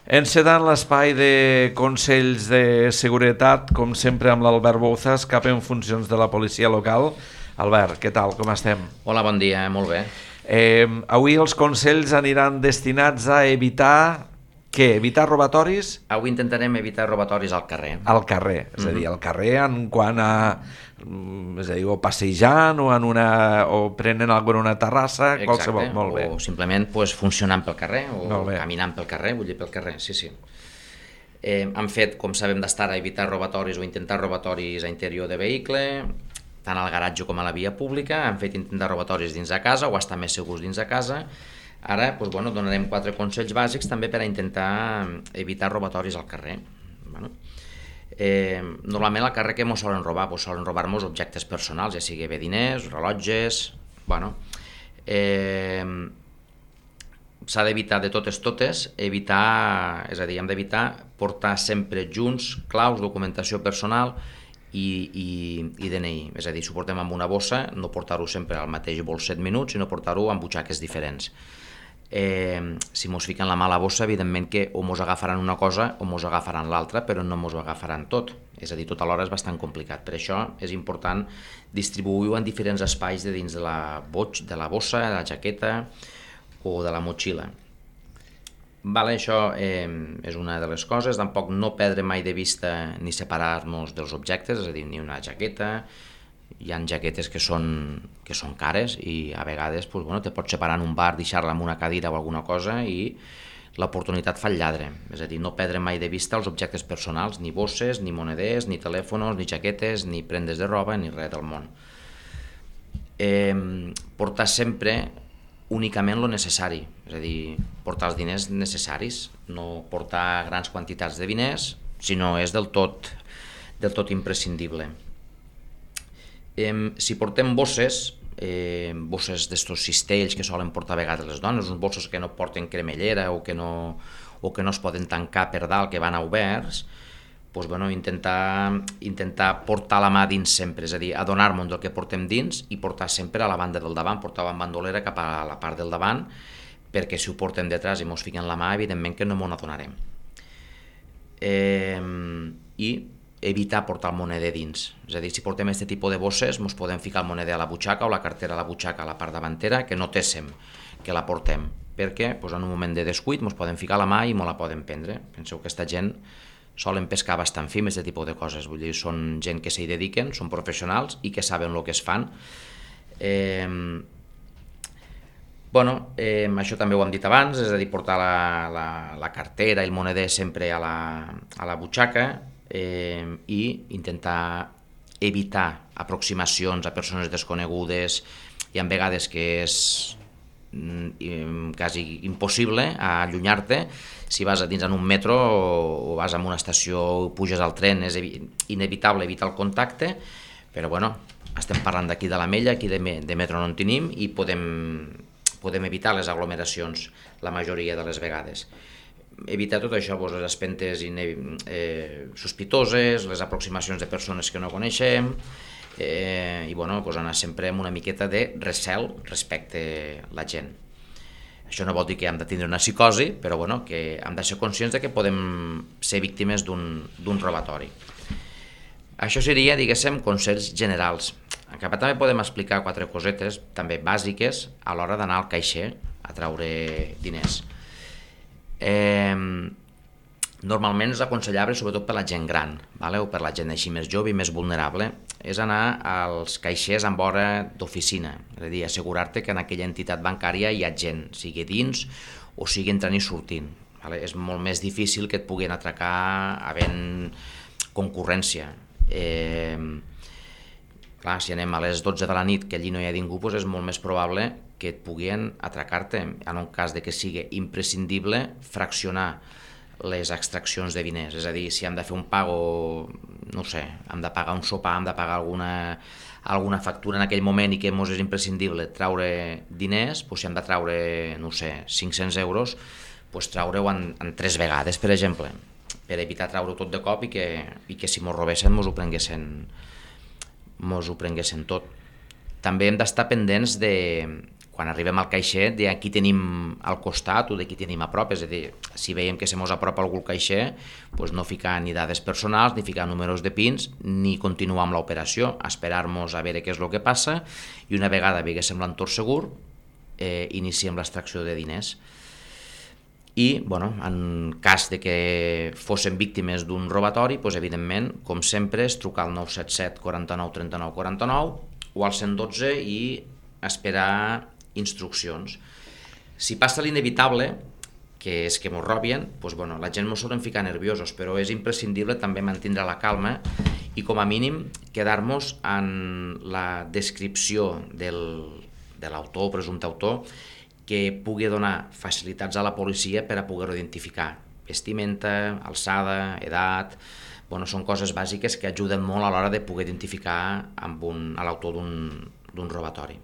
Encedant l'espai de Consells de Seguretat, com sempre amb l'Albert Bouzas, cap en funcions de la policia local. Albert, què tal, com estem? Hola, bon dia, molt bé. Avui els consells aniran destinats a evitar... Què? Evitar robatoris? Avui intentarem evitar robatoris al carrer. Al carrer, és a dir, al carrer en quant a... és a dir, o passejant o, o prenent alguna una terrassa, Exacte, qualsevol, molt bé. O simplement funcionant pel carrer o Molt bé. caminant pel carrer, vull dir pel carrer, sí. Han fet, com sabem, d'estar a evitar robatoris o intentar robatoris a interior de vehicle, tant al garatge com a la via pública, han fet intentar robatoris dins de casa o estar més segurs dins de casa. Ara donarem 4 consells bàsics també per a intentar evitar robatoris al carrer. Normalment al carrer què ens solen robar? Solen robar-nos objectes personals, ja sigui bé diners, rellotges... S'ha d'evitar de totes, hem d'evitar portar sempre junts claus, documentació personal i DNI. És a dir, si ho portem amb una bossa, no portar-ho sempre al mateix bolset minuts, sinó portar-ho amb butxaques diferents. Si mos fiquen la mà a la bossa, evidentment que o mos agafaran una cosa o mos agafaran l'altra, però no mos agafaran tot. És a dir, tot alhora és bastant complicat. Per això és important distribuir-ho en diferents espais de dins de la bossa, de la jaqueta o de la motxilla. Això és una de les coses. Tampoc no perdre mai de vista ni separar-nos dels objectes, és a dir, ni una jaqueta. Hi ha jaquetes que són cares i a vegades te pots separar en un bar, deixar-la en una cadira o alguna cosa i l'oportunitat fa el lladre. És a dir, no perdre mai de vista els objectes personals, ni bosses, ni moneders, ni telèfons, ni jaquetes, ni prendes de roba, ni res del món. Portar sempre únicament el necessari, és a dir, portar els diners necessaris, no portar grans quantitats de diners si no és del tot imprescindible. Si portem bosses d'estos cistells que solen portar a vegades les dones, uns bossos que no porten cremellera o que no es poden tancar per dalt, que van a oberts, intentar portar la mà dins sempre, és a dir, adonar-nos del que portem dins i portar sempre a la banda del davant, portar la bandolera cap a la part del davant, perquè si ho portem detrás i mos fiquen la mà, evidentment que no m'ho adonarem. I evitar portar el moneder dins, és a dir, si portem aquest tipus de bosses ens podem ficar el moneder a la butxaca o la cartera a la butxaca a la part davantera, que notéssim que la portem, perquè en un moment de descuit ens podem ficar la mà i ens la poden prendre. Penseu que aquesta gent solen pescar bastant fi amb aquest tipus de coses, vull dir, són gent que s'hi dediquen, són professionals i que saben el que es fan. Això també ho hem dit abans, és a dir, portar la cartera i el moneder sempre a la butxaca, i intentar evitar aproximacions a persones desconegudes. Hi ha vegades que és quasi impossible allunyar-te. Si vas dins en un metro o vas a una estació o puges al tren, és inevitable evitar el contacte, però estem parlant d'aquí de l'Ametlla, aquí de metro no en tenim i podem evitar les aglomeracions la majoria de les vegades. Evitar tot això, les espentes sospitoses, les aproximacions de persones que no coneixem i anar sempre amb una miqueta de recel respecte a la gent. Això no vol dir que hem de tindre una psicosi, però que hem de ser conscients que podem ser víctimes d'un robatori. Això seria, diguéssim, consells generals. En cap també podem explicar 4 cosetes també bàsiques a l'hora d'anar al caixer a treure diners. Normalment és aconsellable, sobretot per la gent gran o per la gent així més jove i més vulnerable, és anar als caixers amb hora d'oficina, és a dir, assegurar-te que en aquella entitat bancària hi ha gent, sigui dins o sigui entrant i sortint. És molt més difícil que et puguin atracar havent concurrència. Si anem a les 12 de la nit que allí no hi ha ningú, és molt més probable que et puguin atracar-te. En un cas de que sigui imprescindible fraccionar les extraccions de diners, és a dir, si hem de fer un pago, no sé, hem de pagar un sopar, hem de pagar alguna factura en aquell moment i que ens és imprescindible treure diners, si hem de treure, no sé, 500 euros, treure-ho en 3 vegades, per exemple, per evitar treure-ho tot de cop i que si mos robessin mos ho prenguessin tot. També hem d'estar pendents de quan arribem al caixer, de qui tenim al costat o de qui tenim a prop, és a dir, si veiem que se mos apropa algú al caixer, doncs no ficar ni dades personals, ni ficar números de pins, ni continuar amb l'operació, esperar-nos a veure què és el que passa, i una vegada veiéssim l'entorn segur, iniciem l'extracció de diners. I, en cas de que fossin víctimes d'un robatori, doncs, evidentment, com sempre, és trucar al 977 49 39 49 o al 112 i esperar instruccions. Si passa l'inevitable, que és que mos robien, doncs, la gent mos solen ficar nerviosos, però és imprescindible també mantenir la calma i com a mínim quedar-nos en la descripció de l'autor o presumpte autor que pugui donar facilitats a la policia per a poder-ho identificar. Vestimenta, alçada, edat, són coses bàsiques que ajuden molt a l'hora de poder identificar a l'autor d'un robatori.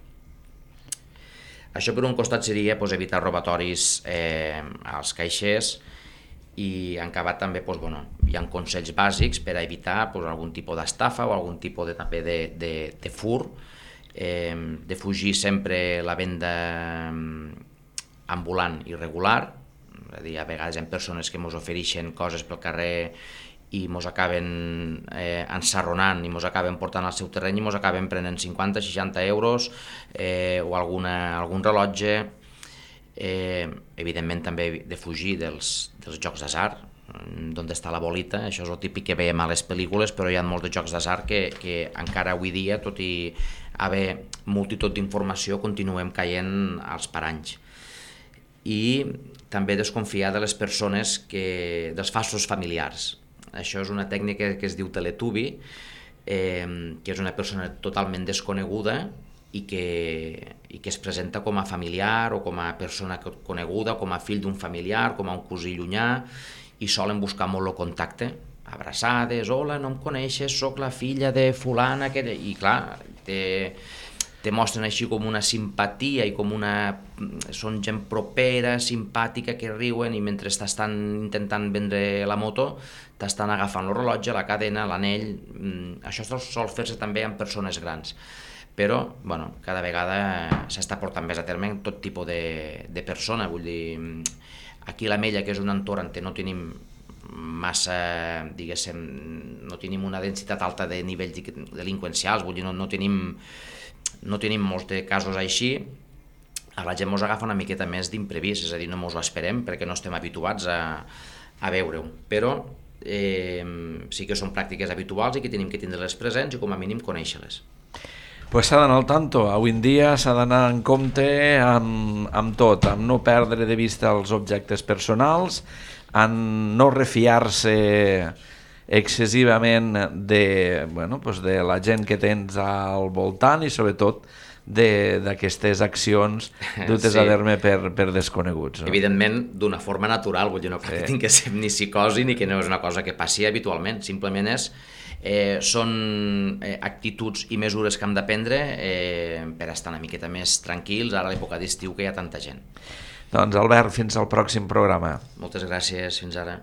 Això per un costat seria evitar robatoris als caixers i en acabat també hi ha consells bàsics per a evitar algun tipus d'estafa o algun tipus de fur, de fugir sempre la venda ambulant irregular, és a dir, a vegades hi ha persones que ens ofereixen coses pel carrer i ens acaben ensarronant i ens acaben portant al seu terreny i ens acaben prenent 50-60 euros o algun rellotge. Evidentment també de fugir dels jocs d'atzar, d'on està la bolita, això és el típic que veiem a les pel·lícules, però hi ha molts de jocs d'atzar que encara avui dia, tot i haver multitud d'informació, continuem caient als paranys. I també desconfiar de les persones, dels falsos familiars. Això és una tècnica que es diu teletubi, que és una persona totalment desconeguda i que es presenta com a familiar o com a persona coneguda, com a fill d'un familiar, com a un cosí llunyà, i solen buscar molt el contacte, abraçades, hola, no em coneixes, sóc la filla de fulana, i clar, te mostren així com una simpatia i són gent propera, simpàtica, que riuen, i mentre t'estan intentant vendre la moto t'estan agafant el rellotge, la cadena, l'anell. Això sol fer-se també amb persones grans, però cada vegada s'està portant més a terme en tot tipus de persona. Vull dir, aquí a l'Ametlla, que és un entorn on no tenim massa, diguéssim, no tenim una densitat alta de nivells delinqüencials, vull dir, no tenim molts de casos així, a la gent ens agafa una miqueta més d'imprevist, és a dir, no ens ho esperem perquè no estem habituats a veure-ho, però sí que són pràctiques habituals i que tenim que tindre-les presents i com a mínim conèixer-les. Pues s'ha d'anar al tanto, avui en dia s'ha d'anar en compte amb tot, amb no perdre de vista els objectes personals, en no refiar-se excessivament de la gent que tens al voltant i sobretot d'aquestes accions dutes a terme per desconeguts. Evidentment, d'una forma natural, vull dir, no que tingui que ser ni psicosi ni que no és una cosa que passi habitualment, simplement són actituds i mesures que hem de prendre per estar una miqueta més tranquils ara a l'època d'estiu que hi ha tanta gent. Doncs Albert, fins al pròxim programa. Moltes gràcies, fins ara.